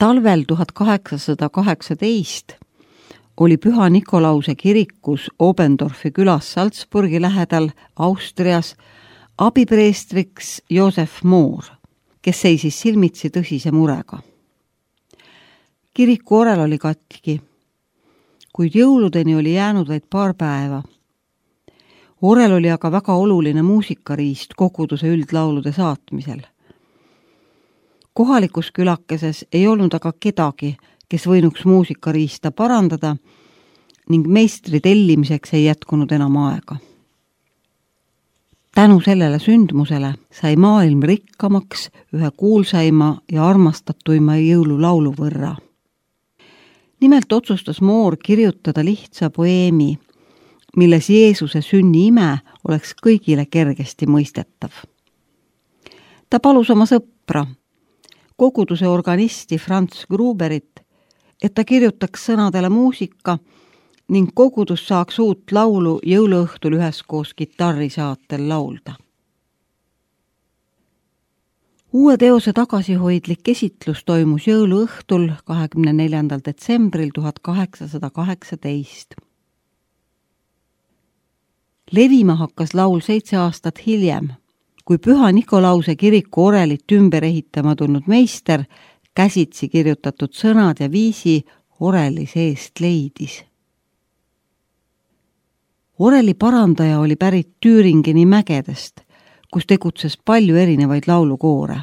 Talvel 1818 oli Püha Nikolause kirikus Obendorfi külas Salzburgi lähedal Austrias abipreestriks Josef Moor, kes seisis silmitsi tõsise murega. Kiriku orel oli katki, kuid jõuludeni oli jäänud vaid paar päeva. Orel oli aga väga oluline muusikariist koguduse üldlaulude saatmisel. Kohalikus külakeses ei olnud aga kedagi, kes võinuks muusikariista parandada ning meistri tellimiseks ei jätkunud enam aega. Tänu sellele sündmusele sai maailm rikkamaks ühe kuulsaima ja armastatuima jõululaulu võrra. Nimelt otsustas Moor kirjutada lihtsa poeemi, milles Jeesuse sünni ime oleks kõigile kergesti mõistetav. Ta palus oma sõpra, koguduse organisti Franz Gruberit, et ta kirjutaks sõnadele muusika ning kogudus saaks uut laulu jõuluõhtul üheskoos kitarrisaatel laulda. Uue teose tagasihoidlik esitlus toimus jõuluõhtul 24. detsembril 1818. Levima hakkas laul 7 aastat hiljem, kui Püha Nikolause kiriku orelit ümber ehitama tulnud meister käsitsi kirjutatud sõnad ja viisi oreli seest leidis. Oreli parandaja oli pärit Tüüringeni mägedest, kus tegutses palju erinevaid laulukoore.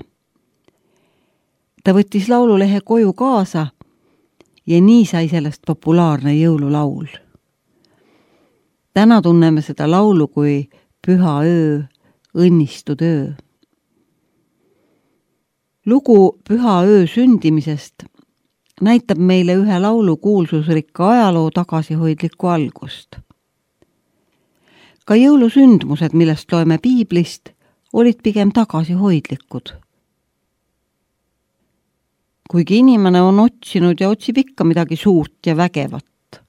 Ta võttis laululehe koju kaasa ja nii sai sellest populaarne jõululaul. Täna tunneme seda laulu kui Püha öö, õnnistud öö. Lugu Püha öö sündimisest näitab meile ühe laulu kuulsusrikka ajaloo tagasihoidlikku algust. Ka jõulusündmused, millest loeme piiblist, olid pigem tagasihoidlikud. Kuigi inimene on otsinud ja otsib ikka midagi suurt ja vägevat,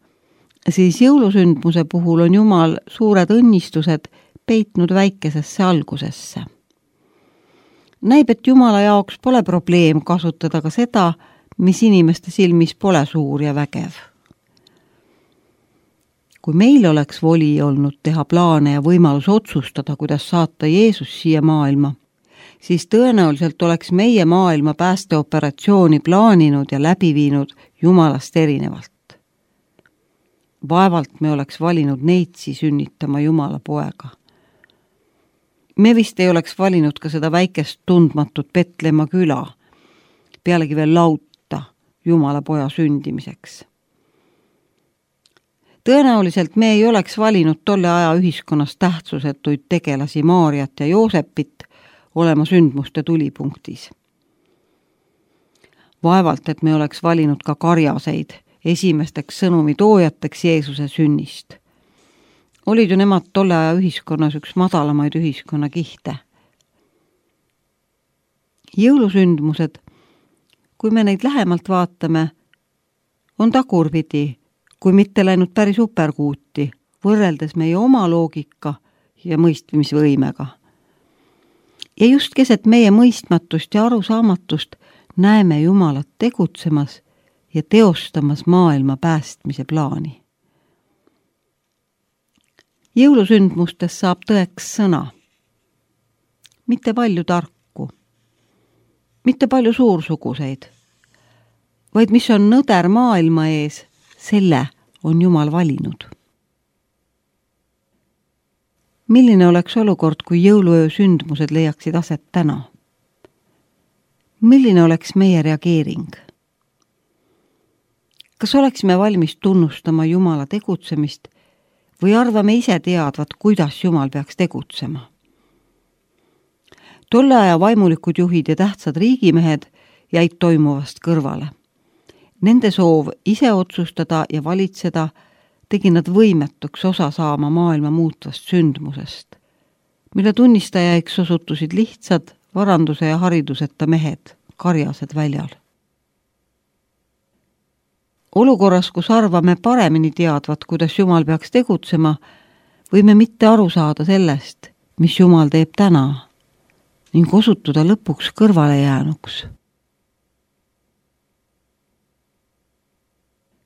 siis jõulusündmuse puhul on Jumal suured õnnistused peitnud väikesesse algusesse. Näib, et Jumala jaoks pole probleem kasutada ka seda, mis inimeste silmis pole suur ja vägev. Kui meil oleks voli olnud teha plaane ja võimalus otsustada, kuidas saata Jeesus siia maailma, siis tõenäoliselt oleks meie maailma päästeoperatsiooni plaaninud ja läbi viinud Jumalast erinevalt. Vaevalt me oleks valinud neitsi sünnitama Jumala poega. Me vist ei oleks valinud ka seda väikest tundmatut Petlemma küla, pealegi veel lauta Jumala poja sündimiseks. Tõenäoliselt me ei oleks valinud tolle aja ühiskonnas tähtsusetuid tegelasi Maarjat ja Joosepit olema sündmuste tulipunktis. Vaevalt, et me oleks valinud ka karjaseid esimesteks sõnumi toojateks Jeesuse sünnist. Olid ju nemad tolle aja ühiskonnas üks madalamaid ühiskonnakihte. Jõulusündmused, kui me neid lähemalt vaatame, on tagurpidi, kui mitte läinud päris uperkuuti, võrreldes meie oma loogika ja mõistmisvõimega. Ja just keset meie mõistmatust ja arusaamatust näeme Jumalat tegutsemas ja teostamas maailma päästmise plaani. Jõulusündmustes saab tõeks sõna. Mitte palju tarku, mitte palju suursuguseid, vaid mis on nõder maailma ees, selle on Jumal valinud. Milline oleks olukord, kui jõuluöö sündmused leiaksid aset täna? Milline oleks meie reageering? Kas oleksime valmis tunnustama Jumala tegutsemist või arvame ise teadvat, kuidas Jumal peaks tegutsema? Tolle aja vaimulikud juhid ja tähtsad riigimehed jäid toimuvast kõrvale. Nende soov ise otsustada ja valitseda tegi nad võimetuks osa saama maailma muutvast sündmusest, mille tunnistajaiks osutusid lihtsad varanduse ja hariduseta mehed, karjased väljal. Olukorras, kus arvame paremini teadvat, kuidas Jumal peaks tegutsema, võime mitte aru saada sellest, mis Jumal teeb täna ning osutuda lõpuks kõrvale jäänuks.